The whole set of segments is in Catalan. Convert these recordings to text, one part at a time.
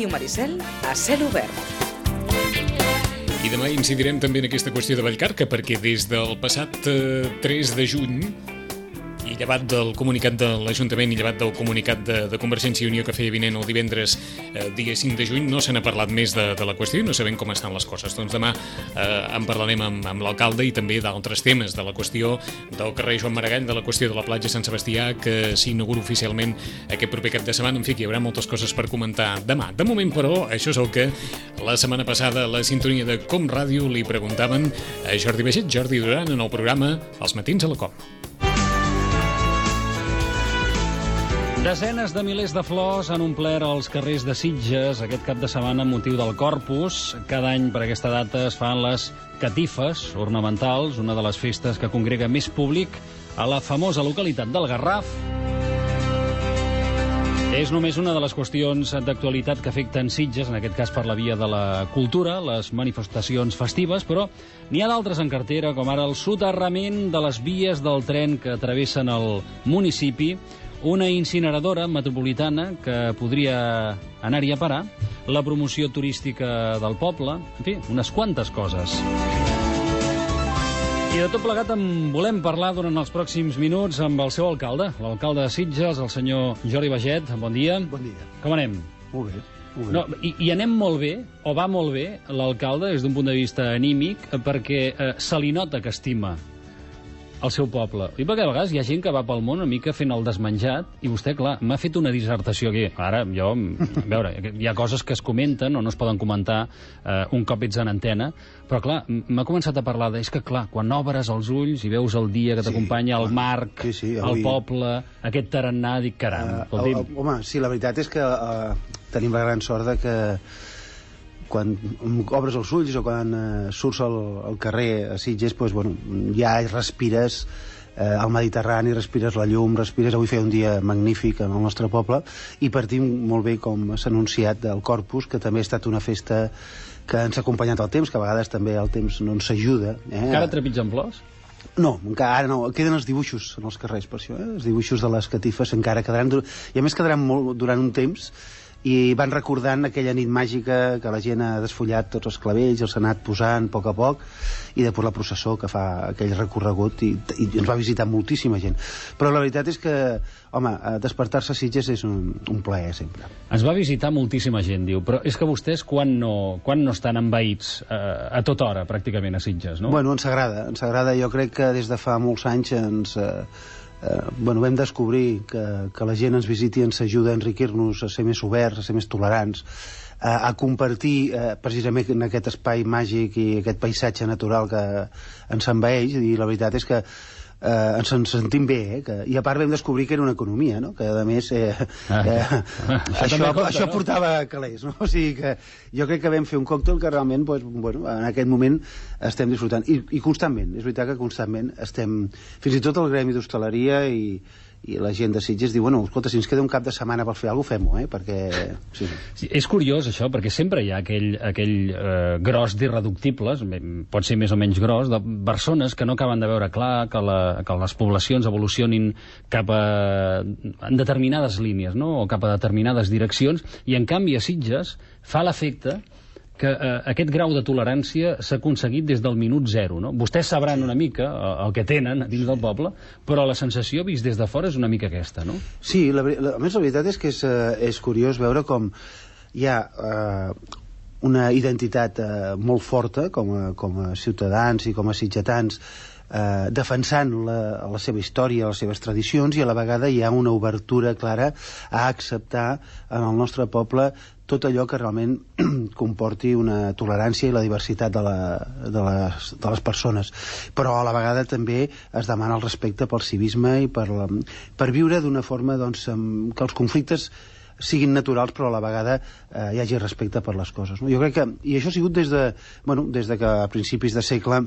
Ràdio Maricel a cel obert. I demà incidirem també en aquesta qüestió de Vallcarca, perquè des del passat 3 de juny, i llevat del comunicat de l'Ajuntament i llevat del comunicat de Convergència i Unió que feia vinent el divendres dia 5 de juny, no se n'ha parlat més de la qüestió i no sabem com estan les coses. Doncs demà en parlarem amb l'alcalde i també d'altres temes, de la qüestió del carrer Joan Maragall, de la qüestió de la platja Sant Sebastià, que s'inaugura oficialment aquest proper cap de setmana. En fi, que hi haurà moltes coses per comentar demà. De moment, però, això és el que la setmana passada a la sintonia de Com Ràdio li preguntaven a Jordi Baget, Jordi Duran, en el programa Els matins a la Com. Desenes de milers de flors han omplert els carrers de Sitges aquest cap de setmana amb motiu del Corpus. Cada any per aquesta data es fan les catifes ornamentals, una de les festes que congrega més públic a la famosa localitat del Garraf. És només una de les qüestions d'actualitat que afecten Sitges, en aquest cas per la via de la cultura, les manifestacions festives, però n'hi ha d'altres en cartera, com ara el soterrament de les vies del tren que travessen el municipi, una incineradora metropolitana que podria anar-hi a parar, la promoció turística del poble, en fi, unes quantes coses. I de tot plegat en volem parlar durant els pròxims minuts amb el seu alcalde, l'alcalde de Sitges, el senyor Jordi Baget. Bon dia. Bon dia. Com anem? Molt bé. Molt bé. No, i anem molt bé, o va molt bé, l'alcalde, des d'un punt de vista anímic, perquè se li nota que estima el seu poble. I perquè a vegades hi ha gent que va pel món una mica fent el desmenjat i vostè, clar, m'ha fet una dissertació aquí. Ara, jo, a veure, hi ha coses que es comenten o no es poden comentar un cop ets en antena, però, clar, m'ha començat a parlar és que, clar, quan obres els ulls i veus el dia que t'acompanya, el marc, el poble, aquest tarannà, dic, caram, escolti'm. Home, sí, la veritat és que tenim la gran sort de que quan obres els ulls o quan surts al carrer a Sitges, doncs, bueno, ja respires el Mediterrani, respires la llum, respires... Avui feia un dia magnífic en el nostre poble i partim molt bé, com s'ha anunciat, del Corpus, que també ha estat una festa que ens ha acompanyat el temps, que a vegades també el temps no ens ajuda. Encara trepitgen flors? No, encara no. Queden els dibuixos en els carrers, per això. Els dibuixos de les catifes encara quedaran... I a més quedaran molt durant un temps, i van recordant aquella nit màgica que la gent ha desfullat tots els clavells, els ha anat posant a poc, i després la processó que fa aquell recorregut, i ens va visitar moltíssima gent. Però la veritat és que, home, despertar-se a Sitges és un plaer sempre. Ens va visitar moltíssima gent, diu, però és que vostès quan no estan envaïts a tota hora, pràcticament, a Sitges, no? Bueno, ens agrada. Jo crec que des de fa molts anys vam descobrir que la gent ens visiti i ens ajuda a enriquir-nos, a ser més oberts, a ser més tolerants, a compartir precisament en aquest espai màgic i aquest paisatge natural que ens envaeix, i la veritat és que ens en sentim bé, i a part vam descobrir que era una economia, no? Que a més això portava calés, no? O sigui que jo crec que vam fer un còctel que realment, en aquest moment estem disfrutant, i constantment, és veritat que constantment estem, fins i tot el gremi d'hostaleria i la gent de Sitges diu, escolta, si ens queda un cap de setmana per fer alguna cosa, fem-ho, perquè... Sí, és curiós això, perquè sempre hi ha aquell gros d'irreductibles, pot ser més o menys gros, de persones que no acaben de veure clar que les poblacions evolucionin cap en determinades línies, no? O cap a determinades direccions, i en canvi a Sitges fa l'efecte que aquest grau de tolerància s'ha aconseguit des del minut zero, no? Vostès sabran una mica el que tenen dins del poble, però la sensació vist des de fora és una mica aquesta, no? Sí, a més la veritat és que és curiós veure com hi ha una identitat molt forta com a ciutadans i com a sitgetans, defensant la seva història, les seves tradicions, i a la vegada hi ha una obertura clara a acceptar en el nostre poble tot allò que realment comporti una tolerància i la diversitat de les persones. Però a la vegada també es demana el respecte pel civisme i per viure d'una forma que els conflictes siguin naturals, però a la vegada hi hagi respecte per les coses, no? Jo crec que, i això ha sigut des de que a principis de segle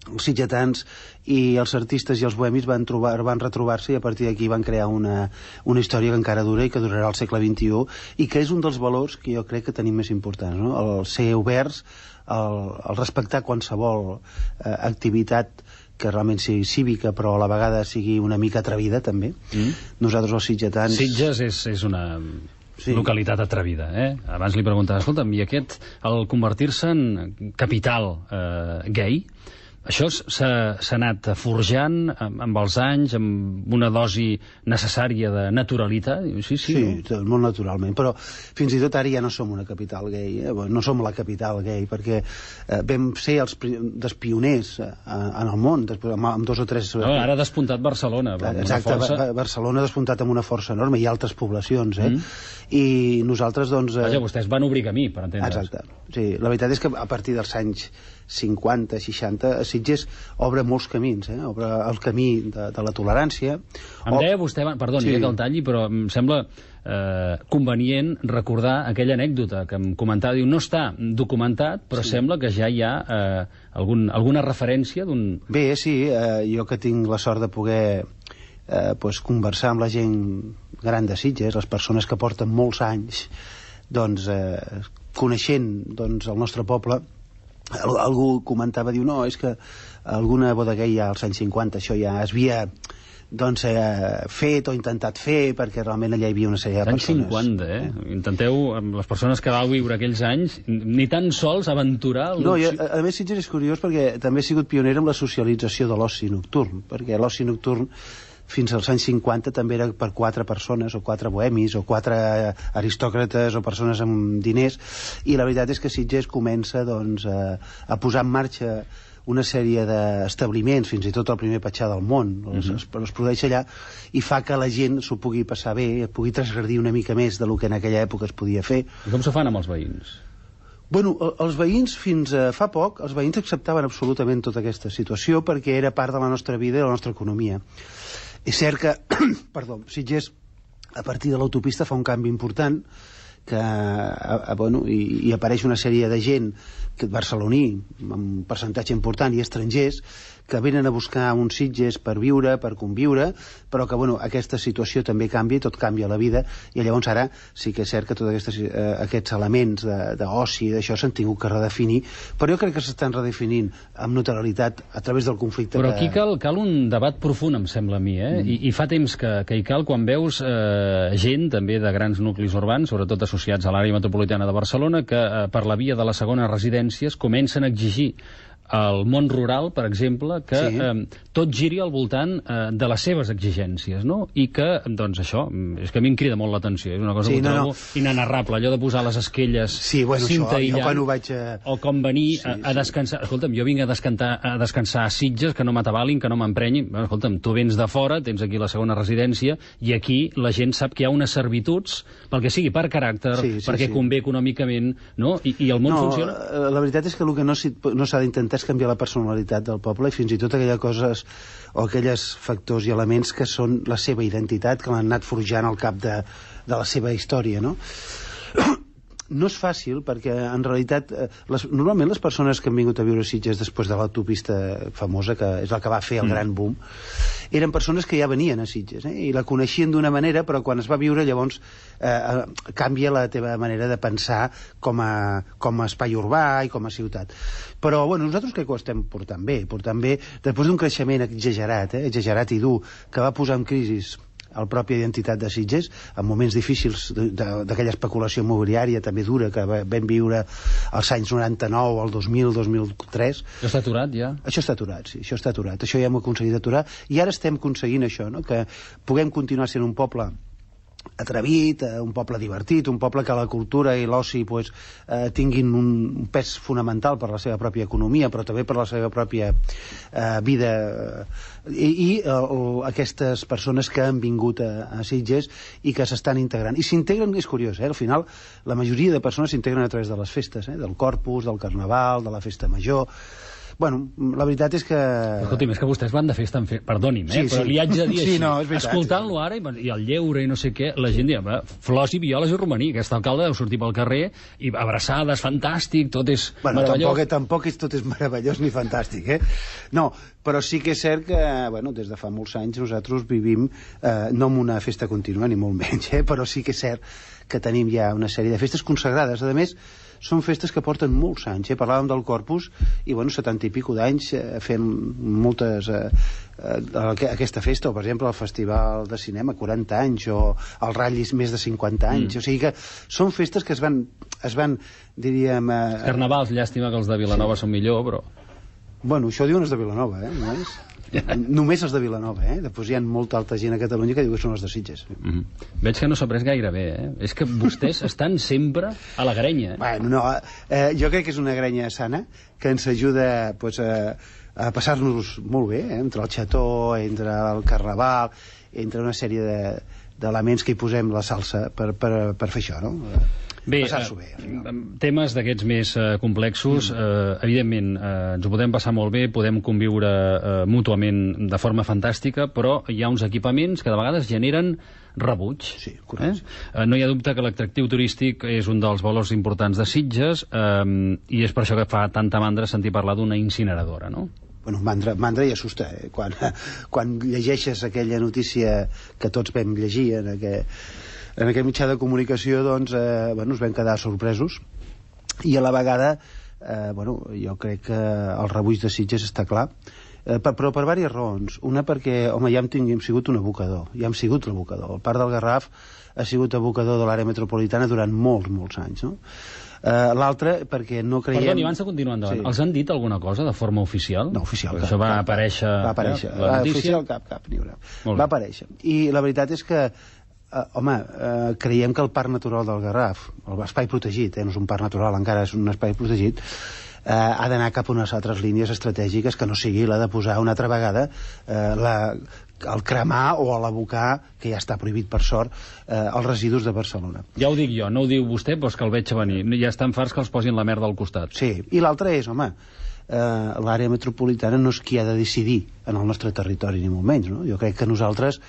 els sitgetans i els artistes i els bohemis van retrobar-se, i a partir d'aquí van crear una història que encara dura i que durarà al segle XXI, i que és un dels valors que jo crec que tenim més importants, no? El ser oberts, el respectar qualsevol activitat que realment sigui cívica, però a la vegada sigui una mica atrevida, també. Nosaltres, els sitgetans... Sitges és una... localitat atrevida, Abans li preguntava, escolta'm, i aquest, al convertir-se en capital gay, això s'ha anat forjant amb els anys, amb una dosi necessària de naturalitat? Sí, molt naturalment, però fins i tot ara ja no som una capital gay, no som la capital gay, perquè vam ser els pioners en el món, amb 2 o 3... No, ara ha despuntat Barcelona. Exacte, Barcelona ha despuntat amb una força enorme, i altres poblacions, i nosaltres, doncs... Vaja, vostès van obrir camí, per entendre's. Exacte, sí, la veritat és que a partir dels anys 50, 60, Sitges obre molts camins, obre el camí de la tolerància. Em deia vostè, perdoni, que el talli, però em sembla convenient recordar aquella anècdota que em comentava, diu, no està documentat, però sembla que ja hi ha alguna referència d'un... Bé, sí, jo que tinc la sort de poder conversar amb la gent gran de Sitges, les persones que porten molts anys coneixent el nostre poble, algú comentava, diu, no, és que alguna boda gay ja als anys 50 això ja es havia fet o intentat fer, perquè realment allà hi havia una sèrie de persones. Anys 50, Intenteu, amb les persones que vau viure aquells anys, ni tan sols aventurar... No, a més Sitges és curiós perquè també he sigut pioner amb la socialització de l'oci nocturn, perquè l'oci nocturn fins als anys 50 també era per 4 persones, o 4 bohemis, o 4 aristòcrates, o persones amb diners, i la veritat és que Sitges comença a posar en marxa una sèrie d'establiments, fins i tot el primer petxar del món, es produeix allà, i fa que la gent s'ho pugui passar bé, pugui transgredir una mica més del que en aquella època es podia fer. I com s'ho fan amb els veïns? Bueno, els veïns, fins fa poc, els veïns acceptaven absolutament tota aquesta situació perquè era part de la nostra vida i de la nostra economia. És cert que, Sitges, a partir de l'autopista, fa un canvi important, i apareix una sèrie de gent barceloní, amb un percentatge important, i estrangers, que venen a buscar uns Sitges per viure, per conviure, però que aquesta situació també canvia, tot canvia a la vida, i llavors ara sí que és cert que tots aquests elements d'oci, d'això s'han tingut que redefinir, però jo crec que s'estan redefinint amb naturalitat a través del conflicte. Però aquí cal un debat profund, em sembla a mi, I fa temps que hi cal quan veus gent, també de grans nuclis urbans, sobretot associats a l'àrea metropolitana de Barcelona, que per la via de les segones residències comencen a exigir al món rural, per exemple, que tot giri al voltant de les seves exigències, no? I que, doncs això, és que a mi em crida molt l'atenció, és una cosa que trobo inenarrable, allò de posar les esquelles cinta aïllant, o com venir a descansar. Escolta'm, jo vinc a descansar a Sitges, que no m'atabalin, que no m'emprenyin. Escolta'm, tu vens de fora, tens aquí la segona residència, i aquí la gent sap que hi ha unes servituds, pel que sigui, per caràcter, perquè convé econòmicament, no? I el món funciona? La veritat és que el que no s'ha d'intentar és canviar la personalitat del poble, i fins i tot aquelles coses o aquells factors i elements que són la seva identitat, que l'han anat forjant al cap de la seva història, no? No és fàcil, perquè en realitat normalment les persones que han vingut a viure a Sitges després de l'autopista famosa, que és la que va fer el gran boom, eren persones que ja venien a Sitges, i la coneixien d'una manera, però quan es va viure llavors canvia la teva manera de pensar com a espai urbà i com a ciutat. Però nosaltres crec que ho estem portant bé, després d'un creixement exagerat i dur, que va posar en crisi la pròpia identitat de Sitges, en moments difícils d'aquella especulació immobiliària també dura que vam viure als anys 99, al 2000, 2003. Això està aturat, ja? Això està aturat, sí, això està aturat. Això ja hem aconseguit aturar, i ara estem aconseguint això, que puguem continuar sent un poble atrevit, un poble divertit, un poble que la cultura i l'oci tinguin un pes fonamental per la seva pròpia economia, però també per la seva pròpia vida, i aquestes persones que han vingut a Sitges i que s'estan integrant. I s'integren, és curiós, al final la majoria de persones s'integren a través de les festes, del Corpus, del Carnaval, de la Festa Major. La veritat és que... Escolti'm, és que vostès van de festa en festa, perdoni'm, però li haig de dir així. Escoltant-lo ara, i el lleure i no sé què, la gent diu, flors i violes i romaní, aquest alcalde deu sortir pel carrer i abraçades, fantàstic, tot és meravellós. Tampoc tot és meravellós ni fantàstic, No, però sí que és cert que, des de fa molts anys nosaltres vivim, no en una festa contínua, ni molt menys, però sí que és cert que tenim ja una sèrie de festes consagrades. A més, són festes que porten molts anys. Parlàvem del Corpus, i 70 i pico d'anys fent moltes... aquesta festa, o per exemple el Festival de Cinema, 40 anys, o el Ratllis, més de 50 anys. O sigui que són festes que es van diríem... Carnavals, llàstima que els de Vilanova són millor, però... Bueno, això diuen els de Vilanova, només. Només els de Vilanova, Després hi ha molta alta gent a Catalunya que diu que són els de Sitges. Veig que no s'ha pres gaire bé, És que vostès estan sempre a la grenya, Bueno, no, jo crec que és una grenya sana, que ens ajuda a passar-nos molt bé, entre el xató, entre el carnaval, entre una sèrie d'elements que hi posem la salsa per fer això, no? Bé, temes d'aquests més complexos, evidentment, ens ho podem passar molt bé, podem conviure mútuament de forma fantàstica, però hi ha uns equipaments que de vegades generen rebuig. Sí, correcte. No hi ha dubte que l'atractiu turístic és un dels valors importants de Sitges, i és per això que fa tanta mandra sentir parlar d'una incineradora, no? Bueno, mandra i assusta, Quan llegeixes aquella notícia que tots vam llegir en aquest mitjà de comunicació, doncs, ens vam quedar sorpresos, i a la vegada, jo crec que el rebuig de Sitges està clar, però per diverses raons. Una, perquè, home, ja hem sigut un abocador, El Parc del Garraf ha sigut abocador de l'àrea metropolitana durant molts anys, no? L'altre, perquè no creiem... Perdoni, abans de continuar endavant, els han dit alguna cosa de forma oficial? No, oficial, cap. Això va aparèixer... Va aparèixer. La notícia? Oficial, cap, ni una. Va aparèixer. I la veritat és que creiem que el Parc Natural del Garraf, l'espai protegit, no és un parc natural, encara és un espai protegit, ha d'anar cap a unes altres línies estratègiques que no sigui la de posar una altra vegada el cremar o l'abocar, que ja està prohibit per sort, els residus de Barcelona. Ja ho dic jo, no ho diu vostè, però és que el veig a venir. Ja estan farts que els posin la merda al costat. Sí, i l'altre és, l'àrea metropolitana no és qui ha de decidir en el nostre territori, ni molt menys, no? Jo crec que nosaltres...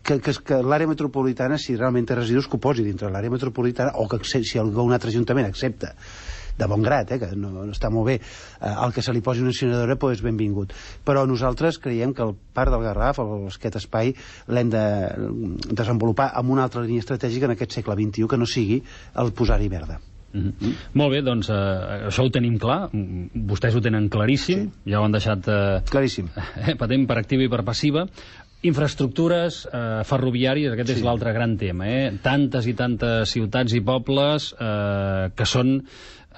que l'àrea metropolitana, si realment té residus, que ho posi dintre l'àrea metropolitana, o que si algun altre ajuntament accepta de bon grat, que no està molt bé, el que se li posi una incineradora, doncs benvingut. Però nosaltres creiem que el Parc del Garraf, aquest espai, l'hem de desenvolupar amb una altra línia estratègica en aquest segle XXI, que no sigui el posar-hi verda. Molt bé, doncs això ho tenim clar, vostès ho tenen claríssim, ja ho han deixat claríssim, patent per activa i per passiva. Infraestructures ferroviàries, aquest és l'altre gran tema, tantes i tantes ciutats i pobles que són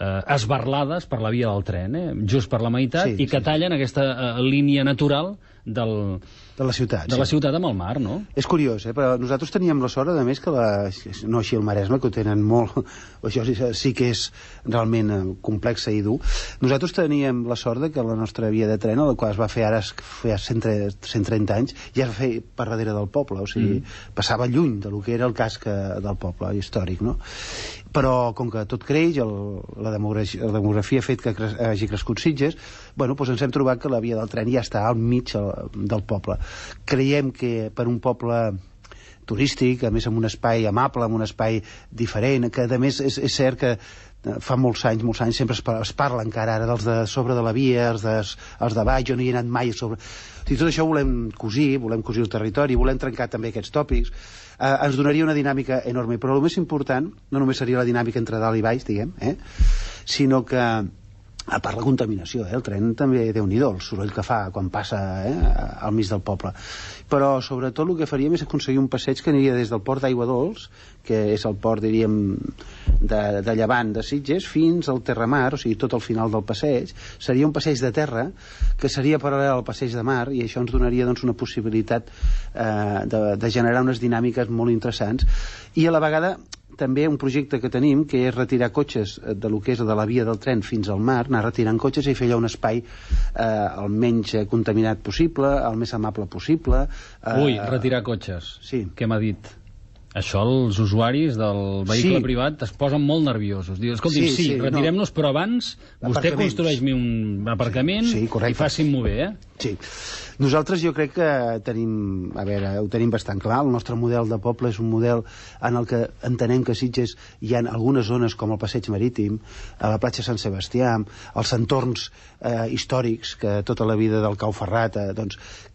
esbarlades per la via del tren, just per la meitat, i que tallen aquesta línia natural de la ciutat amb el mar, no? És curiós, però nosaltres teníem la sort, a més, que no així el Maresme, que ho tenen molt... Això sí que és realment complex i dur. Nosaltres teníem la sort que la nostra via de tren, la qual es va fer ara fa 130 anys, ja es va fer per darrere del poble, o sigui, passava lluny del que era el casc del poble històric, no? Però com que tot creix, la demografia ha fet que hagi crescut Sitges, doncs ens hem trobat que la via del tren ja està al mig del poble. Creiem que per un poble turístic, a més amb un espai amable, amb un espai diferent, que a més és cert que fa molts anys sempre es parla encara ara dels de sobre de la via, els de baix, jo no hi he anat mai a sobre... I tot això volem cosir el territori, volem trencar també aquests tòpics. Ens donaria una dinàmica enorme, però el més important no només seria la dinàmica entre dalt i baix, diguem, sinó que, a part la contaminació, el tren també déu-n'hi-do, el soroll que fa quan passa al mig del poble. Però sobretot el que faríem és aconseguir un passeig que aniria des del port d'Aigua Dols, que és el port, diríem, de llevant de Sitges, fins al Terramar, o sigui, tot al final del passeig. Seria un passeig de terra que seria paral·lel al passeig de mar, i això ens donaria una possibilitat de generar unes dinàmiques molt interessants, i a la vegada també un projecte que tenim, que és retirar cotxes de lo que és de la via del tren fins al mar, anar retirant cotxes i fer allà un espai el menys contaminat possible, el més amable possible. Retirar cotxes. Sí. Què m'ha dit? Això els usuaris del vehicle privat es posen molt nerviosos. Diu, escolti, retirem-nos, però abans vostè construeix-me un aparcament i facin-m'ho bé, Sí. Nosaltres jo crec que tenim, ho tenim bastant clar. El nostre model de poble és un model en el que entenem que a Sitges hi ha algunes zones com el Passeig Marítim, a la platja Sant Sebastià, els entorns històrics, que tota la vida del Cau Ferrat,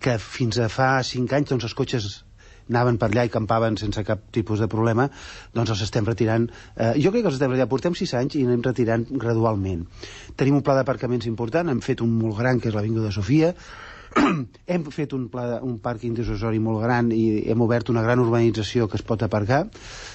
que fins a fa 5 anys els cotxes anaven per allà i campaven sense cap tipus de problema, doncs els estem retirant. Jo crec que els estem retirant, portem 6 anys i anem retirant gradualment. Tenim un pla d'aparcaments important, hem fet un molt gran, que és l'Avinguda Sofia, hem fet un pàrquing dissuasori molt gran i hem obert una gran urbanització que es pot aparcar.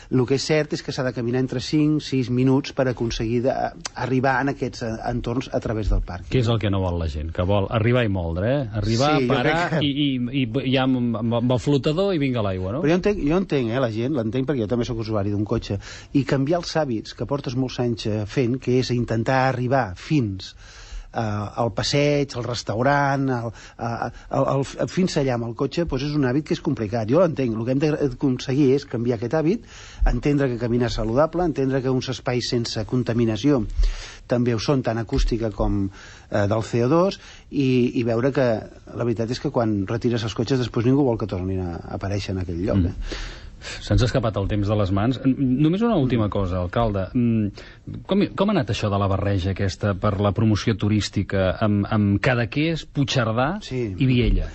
El que és cert és que s'ha de caminar entre 5-6 minuts per aconseguir arribar en aquests entorns a través del parc. Què és el que no vol la gent? Que vol arribar i moldre, Arribar, sí, parar i ja amb el flotador i vinga l'aigua, no? Però jo entenc la gent, l'entenc perquè jo també sóc usuari d'un cotxe, i canviar els hàbits que portes molts anys fent, que és intentar arribar fins al passeig, al restaurant, fins allà amb el cotxe, doncs és un hàbit que és complicat. Jo l'entenc. El que hem d'aconseguir és canviar aquest hàbit, entendre que caminar és saludable, entendre que uns espais sense contaminació també ho són, tant acústica com del CO2, i veure que la veritat és que quan retires els cotxes després ningú vol que tornin a aparèixer en aquell lloc. Se'ns ha escapat el temps de les mans. Només una última cosa, alcalde. Com ha anat això de la barreja aquesta per la promoció turística amb Cadaqués, Puigcerdà i Viella?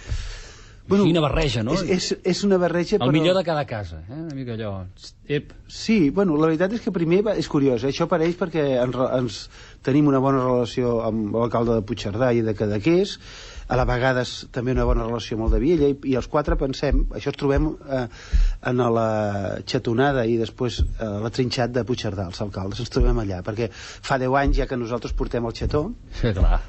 Quina barreja, no? És una barreja, però... El millor de cada casa, una mica allò... Sí, bueno, la veritat és que primer és curiós, això apareix perquè ens tenim una bona relació amb l'alcalde de Puigcerdà i de Cadaqués, a la vegades també una bona relació amb el de Viella, i els 4 pensem, això es trobem en la xatonada i després la trinxat de Puigcerdà, els alcaldes, ens trobem allà, perquè fa 10 anys ja que nosaltres portem el xató. Sí, clar.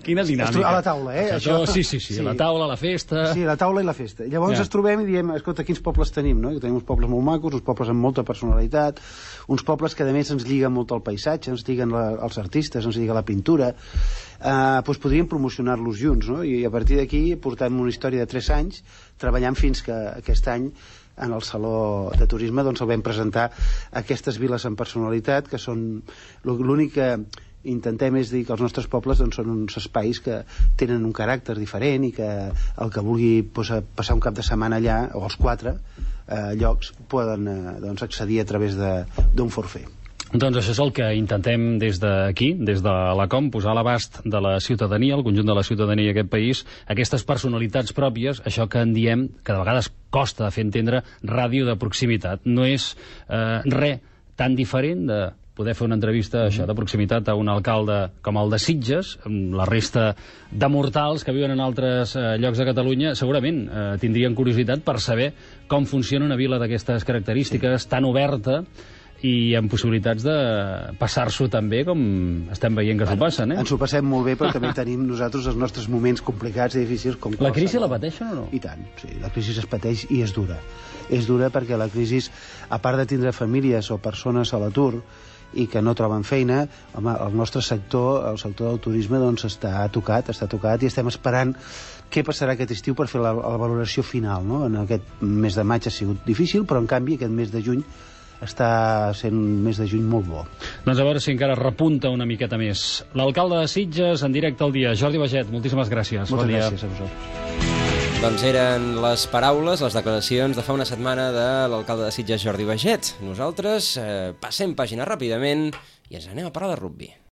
Quina dinàmica. A la taula, Això, sí, la taula, la festa... Sí, la taula i la festa. Llavors ens trobem i diem, escolta, quins pobles tenim, no? Tenim uns pobles molt macos, uns pobles amb molta personalitat, uns pobles que a més ens lliguen molt al paisatge, ens lliguen els artistes, ens lliguen la pintura, doncs podríem promocionar-los junts, no? I a partir d'aquí portem una història de 3 anys, treballant fins que aquest any en el Saló de Turisme doncs el vam presentar aquestes viles amb personalitat, que són l'únic que intentem és dir que els nostres pobles doncs, són uns espais que tenen un caràcter diferent i que el que vulgui passar un cap de setmana allà, o els 4 llocs, poden accedir a través d'un forfait. Doncs això és el que intentem des d'aquí, des de la COM, posar a l'abast de la ciutadania, el conjunt de la ciutadania d'aquest país, aquestes personalitats pròpies, això que en diem, que de vegades costa fer entendre, ràdio de proximitat. No és res tan diferent de poder fer una entrevista això de proximitat a un alcalde com el de Sitges, amb la resta de mortals que viuen en altres llocs de Catalunya, segurament tindrien curiositat per saber com funciona una vila d'aquestes característiques, tan oberta i amb possibilitats de passar-s'ho també com estem veient que s'ho passen, Ens ho passem molt bé, però també tenim nosaltres els nostres moments complicats i difícils. La crisi la pateixen o no? I tant, sí, la crisi es pateix i és dura. És dura perquè la crisi, a part de tindre famílies o persones a l'atur i que no troben feina, home, el nostre sector, el sector del turisme, doncs està tocat i estem esperant què passarà aquest estiu per fer la valoració final, no? En aquest mes de maig ha sigut difícil, però en canvi aquest mes de juny està sent un mes de juny molt bo. Doncs a veure si encara repunta una miqueta més. L'alcalde de Sitges, en directe al dia, Jordi Baget, moltíssimes gràcies. Moltes gràcies a vosaltres. Doncs eren les paraules, les declaracions de fa una setmana de l'alcalde de Sitges, Jordi Baget. Nosaltres passem pàgina ràpidament i ens anem a parlar de rugbi.